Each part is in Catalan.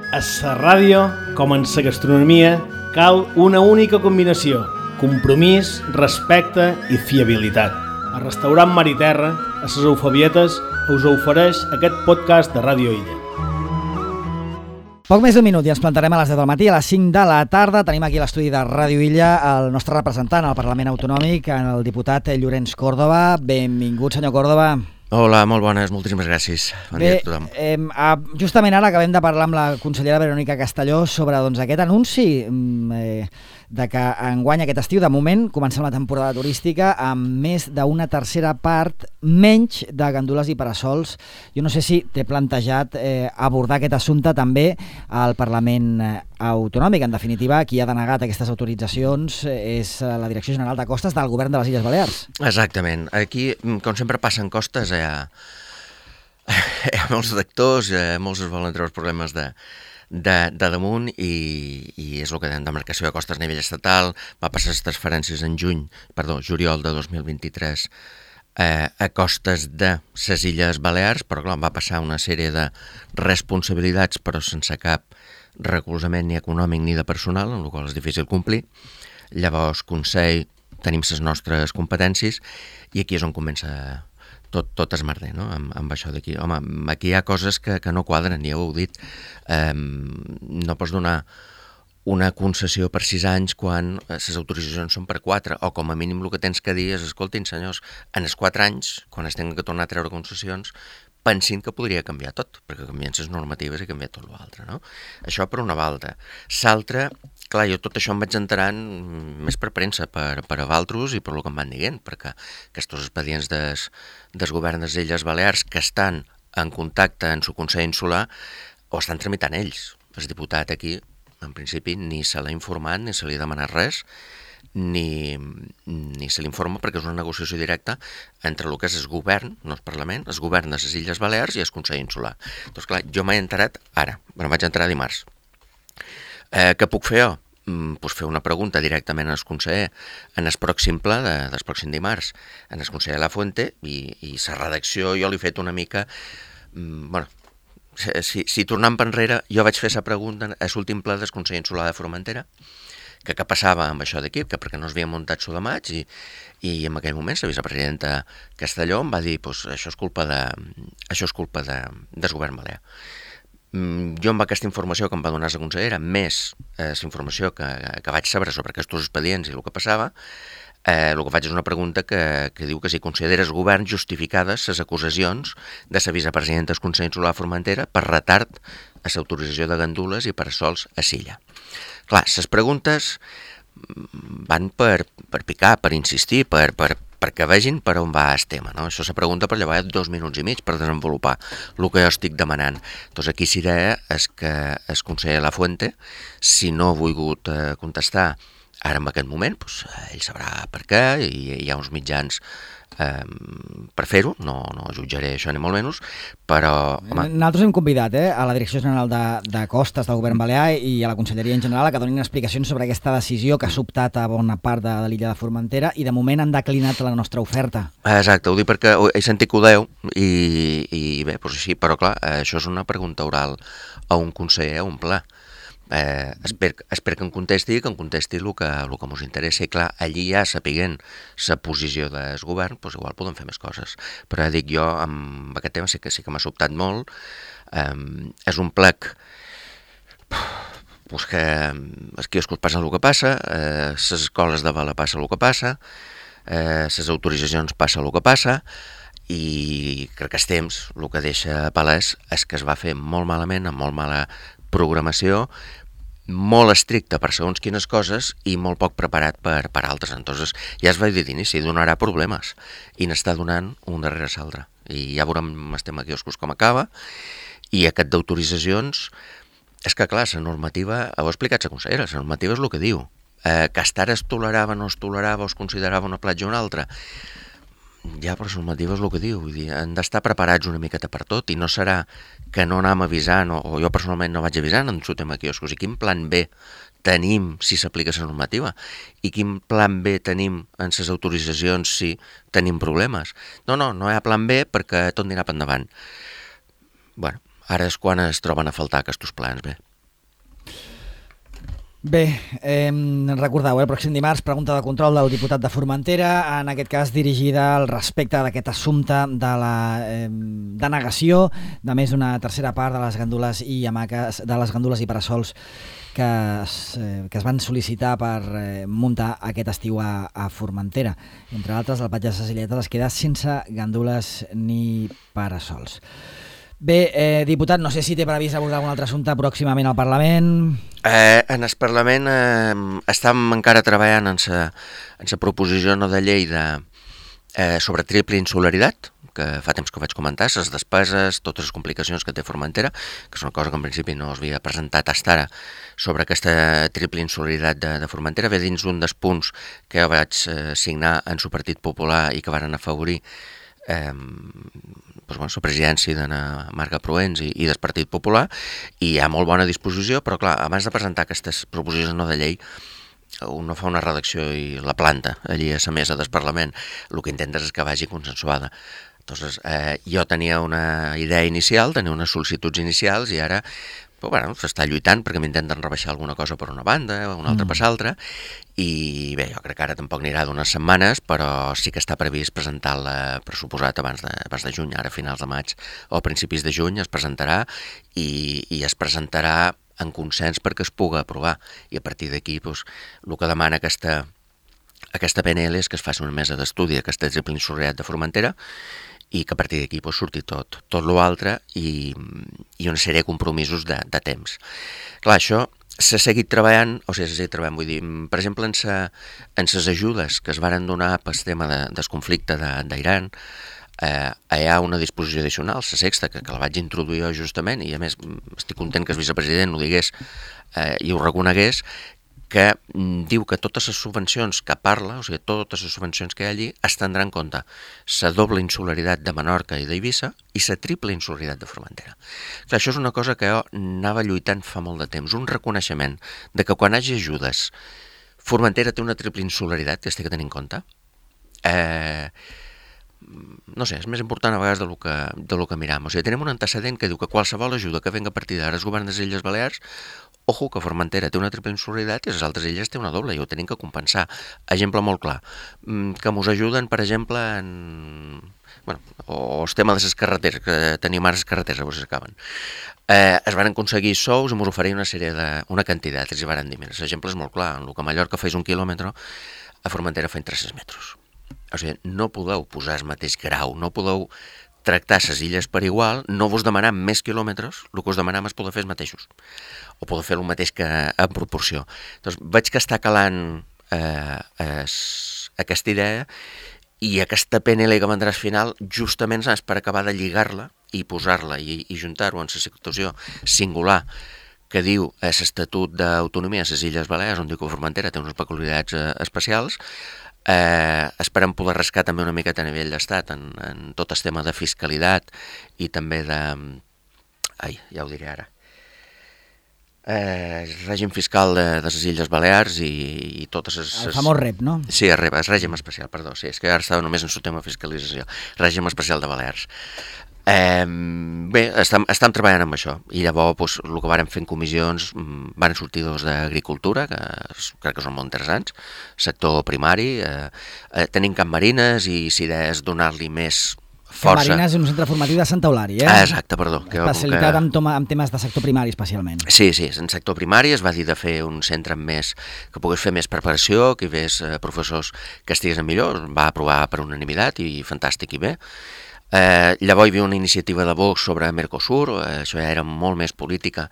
A la ràdio, com en la gastronomia, cal una única combinació: compromís, respecte i fiabilitat. El restaurant Mar i Terra, a les Eufabietes, us ofereix aquest podcast de Ràdio Illa. Poc més d'un minut i ens plantarem a les 10 del matí. A les 5 de la tarda tenim aquí a l'estudi de Ràdio Illa el nostre representant al Parlament Autonòmic, el diputat Llorenç Córdoba. Benvingut, senyor Córdoba. Hola, molt bones, moltíssimes gràcies. Bon dia a tothom. Justament ara acabem de parlar amb la consellera Verònica Castelló sobre aquest anunci de que enguany aquest estiu, de moment, comencem la temporada turística amb més d'una tercera part menys de gandules i parasols. Jo no sé si t'he plantejat abordar aquest assumpte també al Parlament Autonòmic. En definitiva, qui ha denegat aquestes autoritzacions és la Direcció General de Costes del Govern de les Illes Balears. Exactament. Aquí, com sempre passen costes, hi ha molts actors, molts es volen treure els problemes de damunt i és el que dèiem, demarcació de costes a nivell estatal. Va passar les transferències en juliol de 2023 a costes de les Illes Balears, però clar, va passar una sèrie de responsabilitats però sense cap recolzament ni econòmic ni de personal, amb la qual és difícil complir. Llavors, Consell, tenim les nostres competències i aquí és on comença tot esmerder, no? Amb això d'aquí. Home, aquí hi ha coses que no quadren, ja ho heu dit. No pots donar una concessió per 6 anys quan les autoritzacions són per 4, o com a mínim el que tens que dir és: escoltin, senyors, en els 4 anys, quan es tinguin que tornar a treure concessions, pensin que podria canviar tot, perquè canvien les normatives i canvia tot l'altre, no? Això per una banda. L'altra, clar, jo tot això em vaig enterant més per premsa, per a Valtros i per el que em van dient, perquè aquests expedients del govern de les Illes Balears que estan en contacte amb el Consell Insular ho estan tramitant ells. El diputat aquí, en principi, ni se l'ha informat, ni se li ha demanat res, ni se l'informa, perquè és una negociació directa entre el que és el govern, no el Parlament, el govern de les Illes Balears i el Consell Insular. Doncs clar, jo m'he enterat ara, em vaig enterar dimarts. Què puc fer jo? Pues fer una pregunta directament al conseller en el pròxim ple del pròxim dimarts, en el conseller Lafuente, i la redacció jo l'he fet una mica... Si tornant per enrere, jo vaig fer la pregunta a l'últim ple del Consell Insular de Formentera, que què passava amb això d'aquí, perquè no es havia muntat això de maig, i en aquell moment la vicepresidenta Castelló em va dir: pues, això és culpa del govern balear. Jo amb aquesta informació que em va donar la consellera, més la informació que vaig saber sobre aquests expedients i el que passava, el que faig és una pregunta que diu que si consideres govern justificades les acusacions de la vicepresidenta del Consell Insular de Formentera per retard a l'autorització de gandules i parasols a Silla. Clar, les preguntes van per picar, per insistir, perquè vegin per on va el tema, no? Això se pregunta per llavors 2 minuts i mig per desenvolupar el que jo estic demanant. Doncs aquí serà que el conseller Lafuente, si no ha volgut contestar ara en aquest moment, doncs ell sabrà per què, i hi ha uns mitjans per fer-ho, no jutjaré això ni molt menys, però... Nosaltres hem convidat a la Direcció General de Costes del Govern Balear i a la Conselleria en general a que donin explicacions sobre aquesta decisió que ha sobtat a bona part de l'illa de Formentera i de moment han declinat la nostra oferta. Exacte, ho dic perquè he sentit que ho deu i bé, doncs així, però clar, això és una pregunta oral a un conseller, a un pla. Espero que em contesti el que ens interessa, i clar, allí ja sapiguent la posició del govern, doncs igual podem fer més coses, però ja dic, jo amb aquest tema sí que m'ha sobtat molt. És un plec que els quioscos passen el que passa, les escoles de vela passa el que passa, les autoritzacions passa el que passa, i crec que els temps el que deixa palès és que es va fer molt malament, amb molt mala programació, molt estricta per segons quines coses i molt poc preparat per altres. Entonces, ja es va dir d'inici, donarà problemes, i n'està donant un darrere l'altre. I ja veurem el tema quioscos com acaba, i aquest d'autoritzacions, és que clar, la normativa, ho ha explicat la consellera, la normativa és el que diu, que hasta ara es tolerava, no es tolerava, o es considerava una platja o una altra. Ja, però la normativa és el que diu, vull dir, han d'estar preparats una miqueta per tot, i no serà que no anem avisant, o jo personalment no vaig avisant en el tema quioscos, i quin plan B tenim si s'aplica la normativa, i quin plan B tenim en les autoritzacions si tenim problemes. No hi ha plan B perquè tot anirà per endavant. Bueno, ara és quan es troben a faltar aquests plans B. Bé, recordeu, el pròxim dimarts, pregunta de control del diputat de Formentera, en aquest cas dirigida al respecte d'aquest assumpte de la denegació de més d'una tercera part de les gandules i hamaques, de les gandules i parasols que es van sol·licitar per muntar aquest estiu a Formentera. Entre altres, el Patge de Cecilietes es queda sense gandules ni parasols. Bé, diputat, no sé si té previst abordar algun altre assumpte pròximament al Parlament. En el Parlament estem encara treballant en la proposició no de llei sobre triple insularitat, que fa temps que ho vaig comentar, les despeses, totes les complicacions que té Formentera, que és una cosa que en principi no es havia presentat fins ara, sobre aquesta triple insularitat de Formentera, ve dins un dels punts que jo vaig signar en el Partit Popular i que varen afavorir la presidència d'Anna Marga Proens i del Partit Popular, i hi ha molt bona disposició, però clar, abans de presentar aquestes proposicions no de llei, un no fa una redacció i la planta allí a la mesa del Parlament, el que intentes és que vagi consensuada. Entonces, jo tenia una idea inicial, tenia unes sol·licituds inicials, i ara s'està lluitant perquè m'intenten rebaixar alguna cosa per una banda o una altra per l'altra, i bé, jo crec que ara tampoc anirà d'unes setmanes, però sí que està previst presentar-la, pressuposat, abans de juny, ara a finals de maig o a principis de juny es presentarà, i es presentarà en consens perquè es pugui aprovar, i a partir d'aquí el que demana aquesta PNL és que es faci una mesa d'estudi d'aquesta triple insularitat de Formentera, i que a partir d'aquí surti tot l'altre, i una sèrie de compromisos de temps. Clar, això s'ha seguit treballant, vull dir, per exemple, en les ajudes que es varen donar pel tema del conflicte d'Iran, hi ha una disposició addicional, la sexta, que la vaig introduir jo justament, i a més estic content que el vicepresident ho digués i ho reconegués, que diu que totes les subvencions que parla, o sigui, totes les subvencions que hi ha allí, es tindrà en compte la doble insularitat de Menorca i d'Eivissa i la triple insularitat de Formentera. Clar, això és una cosa que jo anava lluitant fa molt de temps, un reconeixement de que quan hi hagi ajudes, Formentera té una triple insularitat que es té que tenir en compte. No sé, és més important a vegades de lo que miram. O sigui, tenim un antecedent que diu que qualsevol ajuda que venga a partir d'ara el govern de les Illes Balears, ojo, que Formentera té una triple insularitat i les altres illes té una doble, i ho tenim que compensar. Exemple molt clar, que mos ajuden, per exemple, o el tema de les carreteres, que tenim ara les carreteres, avui s'acaben. Es van aconseguir sous i mos oferien una quantitat, els hi van dir, mira, l'exemple és molt clar, en el que a Mallorca feis 1 quilòmetre, a Formentera feien 300 metres. O sigui, no podeu posar el mateix grau, no podeu tractar les illes per igual, no vos demanam més quilòmetres, el que us demanam és poder fer els mateixos, o poder fer el mateix que en proporció. Doncs vaig que està calant aquesta idea, i aquesta PNL que vendrà al final justament és per acabar de lligar-la i posar-la i juntar-ho en la situació singular que diu l'Estatut d'Autonomia a les Illes Balears, on diu que Formentera té unes peculiaritats especials. Esperem poder rascar també una miqueta a nivell d'estat en tot el tema de fiscalitat i també de... ja ho diré ara. El règim fiscal de les Illes Balears i totes les... El famós REP, no? Sí, el REP, el règim especial, perdó. Sí, és que ara estava només en el tema de fiscalització. Règim especial de Balears. Bé, estem treballant amb això, i llavors el que vàrem fer en comissions van sortir dos d'agricultura, que crec que són molt interessants, sector primari, tenim Camp Marines, i si és donar-li més força... Camp Marines és un centre formatiu de Santa Eulària, Exacte, perdó. Especialitat en temes de sector primari, especialment. Sí, en sector primari es va dir de fer un centre que pogués fer més preparació, que hi hagués professors que estiguessin millor, va aprovar per unanimitat i fantàstic i bé. Llavors hi havia una iniciativa de Vox sobre Mercosur, això ja era molt més política,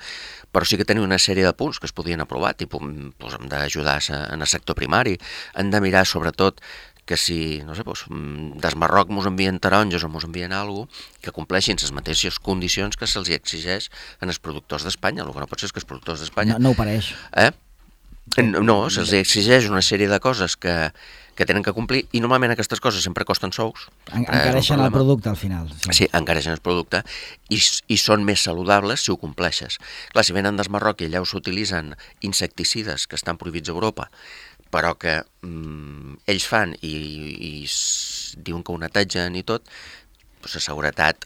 però sí que tenia una sèrie de punts que es podien aprovar, tipus, hem d'ajudar en el sector primari, hem de mirar sobretot que si, no sé, des Marroc mos envien taronges o mos envien alguna cosa, que compleixin les mateixes condicions que se'ls exigeix en els productors d'Espanya. El que no pot ser és que els productors d'Espanya... No ho pareix. No, se'ls exigeix una sèrie de coses que tenen que complir, i normalment aquestes coses sempre costen sous. Encareixen el producte al final. Sí, encareixen el producte, i són més saludables si ho compleixes. Clar, si venen des Marroc i allà s'utilitzen insecticides que estan prohibits a Europa, però que ells fan i diuen que ho netegen i tot, la seguretat,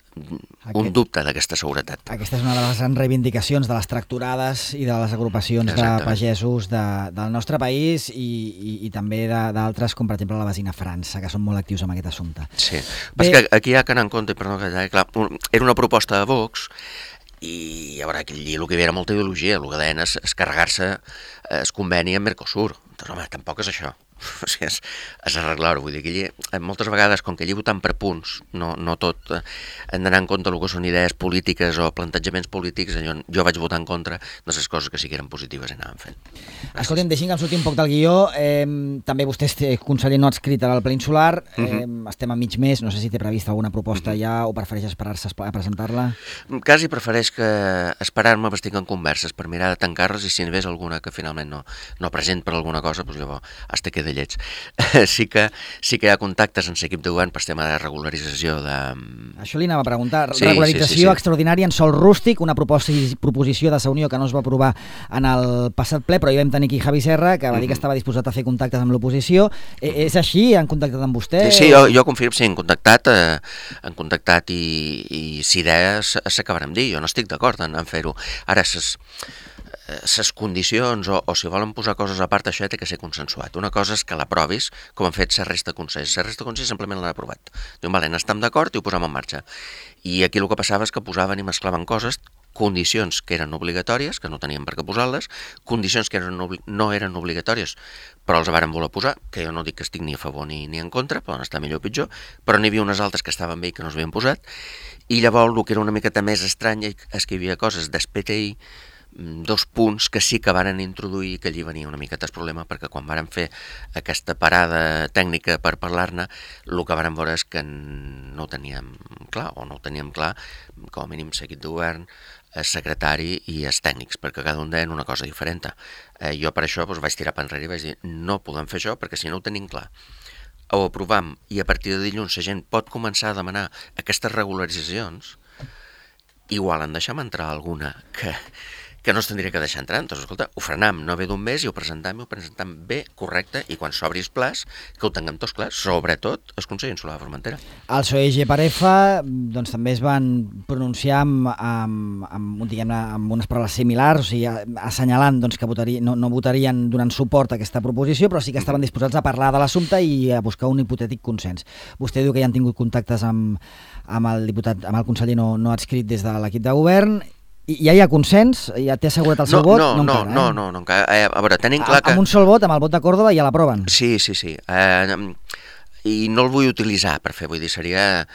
un dubte d'aquesta seguretat. Aquesta és una de les reivindicacions de les tractorades i de les agrupacions de pagesos del nostre país i també d'altres, com per exemple la Vesina França, que són molt actius en aquest assumpte. Sí, perquè aquí hi ha que anar en compte, perdó, clar, era una proposta de Vox i a veure, aquell dia el que hi havia era molta ideologia, el que deien és carregar-se el conveni amb Mercosur. Doncs home, tampoc és això. O sigui, és arreglar-ho, vull dir que allí, moltes vegades, com que allí votant per punts, no tot hem d'anar en compte el que són idees polítiques o plantejaments polítics, jo vaig votar en contra de les coses que sí que eren positives i anàvem fent. Escolta'm, deixi'm que em surti un poc del guió, també vostè és conseller no adscrit al Ple Insular, estem a mig mes, no sé si té prevista alguna proposta ja o prefereix esperar-se a presentar-la? Quasi prefereix que esperar-me estic en converses per mirar de tancar-les i si n'hi hagués alguna que finalment no present per alguna cosa, doncs llavors hasta queda lleig. Sí que hi ha contactes en l'equip de govern per tema de regularització de... Això li anava a preguntar. Regularització extraordinària en sòl rústic, una proposició de Sa Unió que no es va aprovar en el passat ple, però hi vam tenir aquí Javi Serra, que va dir que estava disposat a fer contactes amb l'oposició. És així? Han contactat amb vostè? Sí, jo confirmo, sí, han contactat i si idees s'acabarem dir. Jo no estic d'acord en fer-ho. Ara, les condicions o si volen posar coses a part, això té que ser consensuat. Una cosa és que l'aprovis, com han fet la resta de consells. La resta de consells simplement l'han aprovat. Diuen, vale, n'estem d'acord i ho posem en marxa. I aquí el que passava és que posaven i mesclaven coses, condicions que eren obligatòries, que no tenien per què posar-les, condicions que no eren obligatòries, però els varen voler posar, que jo no dic que estic ni a favor ni en contra, poden estar millor o pitjor, però n'hi havia unes altres que estaven bé i que no s'havien posat, i llavors el que era una miqueta més estrany és que hi havia coses d'ESPTI, 2 punts que sí que varen introduir, que allí venia una miqueta el problema, perquè quan varen fer aquesta parada tècnica per parlar-ne, el que varen veure és que no ho teníem clar, com a mínim l'equip de govern, el secretari i els tècnics, perquè cada un deien una cosa diferent. Jo per això vaig tirar per enrere i vaig dir, no podem fer això perquè si no ho tenim clar. Ho aprovam i a partir de dilluns la gent pot començar a demanar aquestes regularitzacions, igual en deixem entrar alguna que no es tindria que deixar entrar. Doncs, escolta, ho frenam, no ve d'un mes i ho presentem bé, correcte, i quan s'obri el plaç, que ho tinguem tots clar, sobretot el Consell Insular de Formentera. El PSOE i Parefa doncs, també es van pronunciar amb unes paraules similars, o sigui, assenyalant doncs, que no votarien donant suport a aquesta proposició, però sí que estaven disposats a parlar de l'assumpte i a buscar un hipotètic consens. Vostè diu que ja han tingut contactes amb el conseller no adscrit des de l'equip de govern. Ja hi ha consens? Ja té assegurat el seu vot? No, encara. A veure, tenim clar que... Amb un sol vot, amb el vot de Còrdova, ja l'aproven? Sí. I no el vull utilitzar per fer, vull dir, seria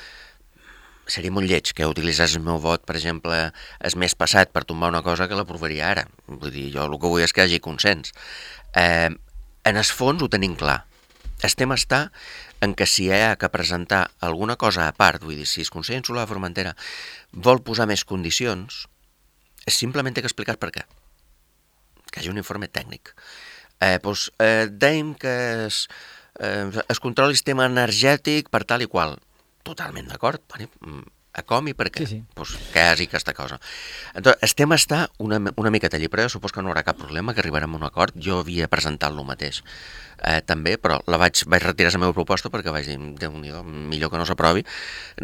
molt lleig que utilitzés el meu vot, per exemple, el mes passat per tombar una cosa que l'aprovaria ara. Vull dir, jo el que vull és que hi hagi consens. En el fons ho tenim clar. El tema està en que si hi ha que presentar alguna cosa a part, vull dir, si el Consell Insular de Formentera vol posar més condicions, simplement té que explicar per què. Que hi hagi un informe tècnic. Dèiem que es controla el sistema energètic per tal i qual. Totalment d'acord. A com i per què? Sí. Que hi hagi aquesta cosa. Entonces, el tema està una miqueta allí, però jo supos que no hi haurà cap problema, que arribarem a un acord. Jo havia presentat lo mateix també, però vaig retirar la meva proposta perquè vaig dir, Déu-n'hi-do, millor que no s'aprovi.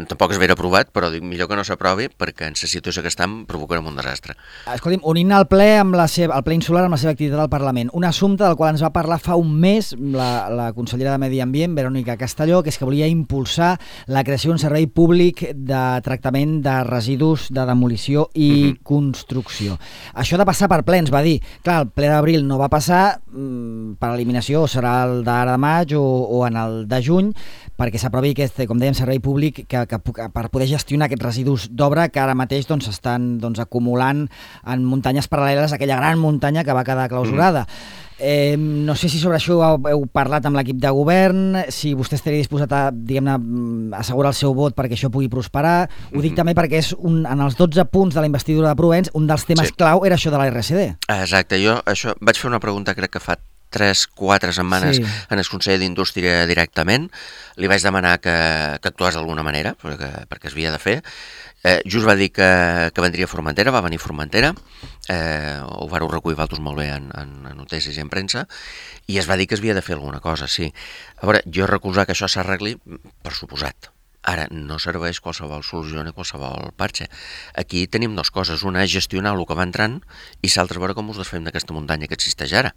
Tampoc es vera aprovat, però dic, millor que no s'aprovi perquè en la situació que estem provocarem un desastre. Escolti'm, unint el ple el ple insular amb la seva activitat al Parlament, un assumpte del qual ens va parlar fa un mes la consellera de Medi Ambient, Verònica Castelló, que és que volia impulsar la creació d'un servei públic de tractament de residus de demolició i construcció. Això ha de passar per ple, ens va dir. Clar, el ple d'abril no va passar, per eliminació serà el d'ara de maig o en el de juny, perquè s'aprovi aquest, com dèiem, servei públic que per poder gestionar aquests residus d'obra que ara mateix s'estan acumulant en muntanyes paral·leles a aquella gran muntanya que va quedar clausurada. No sé si sobre això heu parlat amb l'equip de govern, si vostè estaria disposat a, diguem-ne, assegurar el seu vot perquè això pugui prosperar. Ho dic també perquè és en els 12 punts de la investidura de Provenç, un dels temes clau era això de la RCD. Exacte, jo això vaig fer una pregunta, crec que fa 3-4 setmanes en el Consell d'Indústria directament. Li vaig demanar que actués d'alguna manera, perquè es havia de fer. Just va dir que vendria a Formentera, va venir a Formentera, ho vareu recollir vosaltres molt bé en notícies i en premsa, i es va dir que es havia de fer alguna cosa, sí. A veure, jo recolzar que això s'arregli, per suposat. Ara, no serveix qualsevol solució ni qualsevol parxa. Aquí tenim dues coses. Una és gestionar el que va entrant i l'altra veure com us desfem d'aquesta muntanya que existeix ara.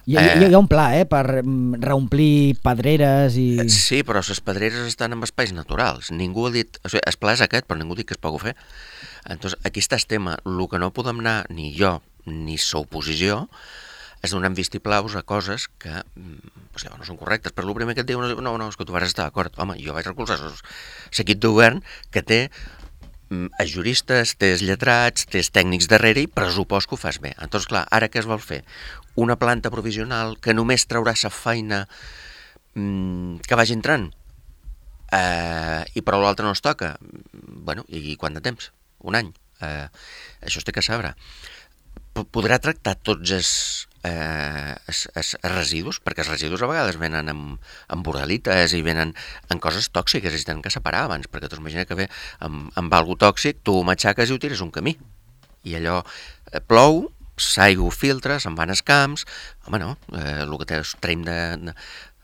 Hi ha un pla, per reomplir pedreres i... Sí, però les pedreres estan en espais naturals. Ningú ha dit... O sigui, el pla és aquest, però ningú ha dit que es pugui fer. Entonces, aquí està el tema. El que no podem anar, ni jo, ni l'oposició, és donant vistiplaus a coses que no són correctes. Però el primer que et diu, no, és que tu vas estar d'acord. Home, jo vaig recolzar l'equip de govern que té els juristes, té els lletrats, té els tècnics darrere i pressupost que ho fas bé. Entonces, clar, ara què es vol fer? Una planta provisional que només traurà la feina que vagi entrant i però l'altre no es toca. Bueno, i quant de temps? Un any. Això es té que saber. Podrà tractar tots els residus, perquè els residus a vegades venen amb borrelites i venen en coses tòxiques i es tenen que separar abans, perquè tu imagina que ve amb algo tòxic, tu ho matxaques i ho tires un camí. I allò plou, l'aigua ho filtra, se'n van als camps, home no, el que traiem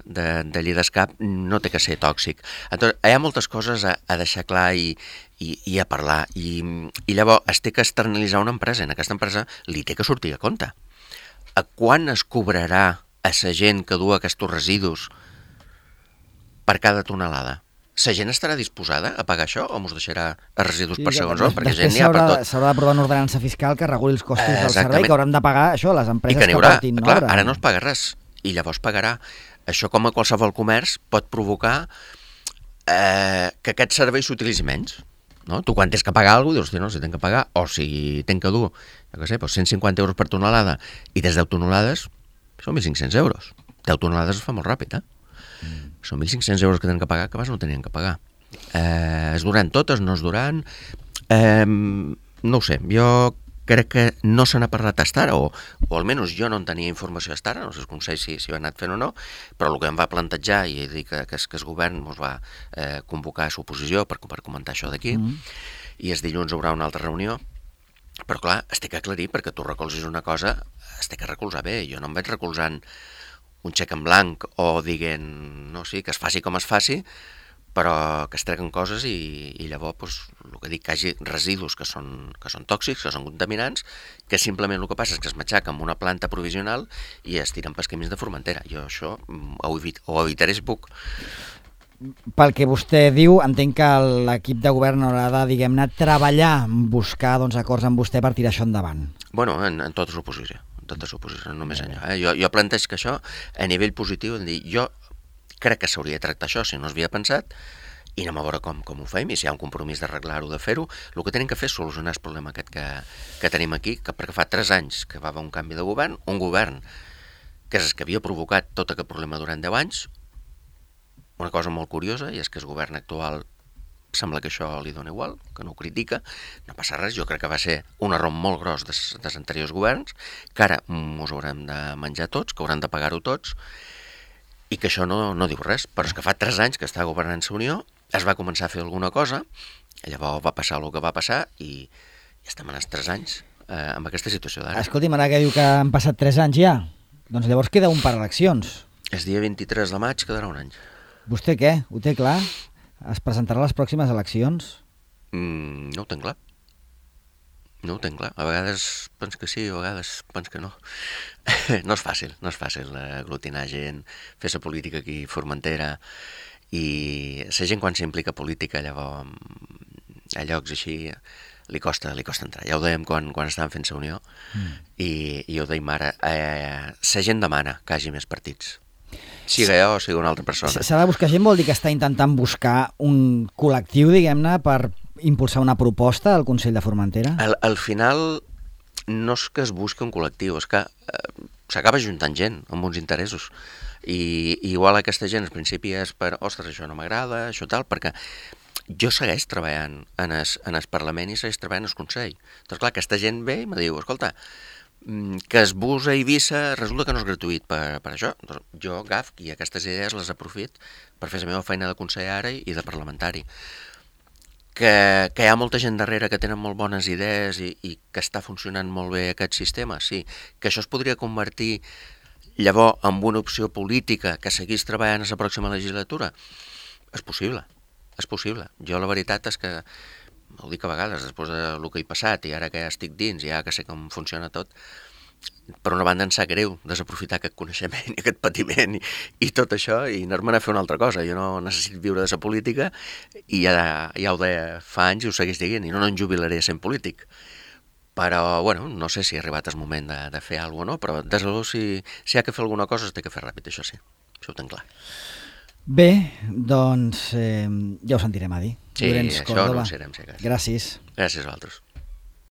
d'allí d'escap no té que ser tòxic. Entonces, hi ha moltes coses a deixar clar i a parlar, i llavors es té que externalitzar una empresa, en aquesta empresa li té que sortir a compte. A quan es cobrarà a la gent que du aquests residus per cada tonelada? La gent estarà disposada a pagar això o ens deixarà els residus per segons on? Perquè gent n'hi ha per tot. S'haurà d'aprovar una ordenança fiscal que reguli els costos del servei, que hauran de pagar això, les empreses que portin. Clar, ara no es paga res, i llavors pagarà. Això, com a qualsevol comerç, pot provocar que aquest servei s'utilitzi menys. No? Tu quan tens que pagar alguna cosa, dius, no, si tenc que pagar, o si tenc que dur, jo què sé, 150 euros per tonelada, i des de 10 tonelades són 1.500 euros. 10 tonelades es fa molt ràpid, Són 1.500 euros que tenen que pagar, que abans no tenien que pagar. Es duran totes, no es duran... no ho sé, jo crec que no se n'ha parlat hasta ara, o almenys jo no en tenia informació hasta ara, no sé el Consell si ho ha anat fent o no, però el que em va plantejar, i dir que el govern ens va convocar a l'oposició per comentar això d'aquí, i el dilluns hi haurà una altra reunió, però clar, es té que aclarir, perquè tu recolzis una cosa, es té que recolzar bé. Jo no em vaig recolzant un xec en blanc o dient, no, sí, que es faci com es faci, però que es treguen coses i llavors, el que dic, que hi hagi residus que són tòxics, que són contaminants, que simplement el que passa és que es matxaca amb una planta provisional i es tiren pels camins de Formentera. Jo això ho evitaré si puc. Pel que vostè diu, entenc que l'equip de govern haurà de, diguem-ne, treballar, buscar acords amb vostè per tirar això endavant. Bueno, en tota l'oposició. No només allò. Jo planteig que això, a nivell positiu, jo crec que s'hauria de tractar això, si no s'havia pensat, i anem a veure com ho fem, i si hi ha un compromís d'arreglar-ho, de fer-ho. El que tenim que fer és solucionar el problema aquest que tenim aquí, perquè fa 3 anys que va haver un canvi de govern, un govern que és el que havia provocat tot aquest problema durant 10 anys. Una cosa molt curiosa, i és que el govern actual sembla que això li dona igual, que no ho critica, no passa res. Jo crec que va ser un error molt gros dels anteriors governs, que ara ens haurem de menjar tots, que haurem de pagar-ho tots, i que això no diu res. Però és que fa 3 anys que està governant la Unió, es va començar a fer alguna cosa, llavors va passar el que va passar, i estem en els 3 anys amb aquesta situació d'ara. Escolti'm, ara que diu que han passat 3 anys ja, doncs llavors queda un per eleccions. El dia 23 de maig quedarà un any. Vostè què? Ho té clar? Es presentarà a les pròximes eleccions? No ho tenc clar. No ho tenc clar. A vegades pens que sí, a vegades pens que no. No és fàcil aglutinar gent, fer la política aquí a Formentera, i la gent quan s'implica política llavors a llocs així li costa entrar. Ja ho dèiem quan estàvem fent la Unió, i ho dèiem ara. La gent demana que hi hagi més partits. Siga jo o sigui una altra persona. S'ha de buscar gent vol dir que està intentant buscar un col·lectiu, diguem-ne, per impulsar una proposta al Consell de Formentera? Al final no és que es busqui un col·lectiu, és que s'acaba juntant gent amb uns interessos. I igual aquesta gent al principi és per, ostres, això no m'agrada, això tal, perquè jo segueix treballant en el Parlament i segueix treballant al Consell. Doncs clar, aquesta gent ve i me diu, escolta, que es bus a Eivissa resulta que no és gratuït per això. Doncs jo agafo i aquestes idees les aprofit per fer la meva feina de conseller i de parlamentari. Que hi ha molta gent darrere que tenen molt bones idees i que està funcionant molt bé aquest sistema, sí. Que això es podria convertir llavors en una opció política que seguís treballant a la pròxima legislatura, és possible. és possible. Jo la veritat és que, ho dic a vegades, després del que he passat i ara que ja estic dins, ja que sé com funciona tot, per una banda em sap greu desaprofitar aquest coneixement i aquest patiment i tot això i anar-me'n a fer una altra cosa. Jo no necessito viure de la política i ja ho deia fa anys i ho segueix dient, i no em jubilaré sent polític. Però, bueno, no sé si ha arribat el moment de fer alguna cosa o no, però des de luego si hi ha que fer alguna cosa s'ha de fer ràpid, això sí, això ho tenc clar. Bé, doncs ja ho sentirem a dir. Sí, Llorenç això Córdoba. anunciarem, si cas. Gràcies. Gràcies a vosaltres.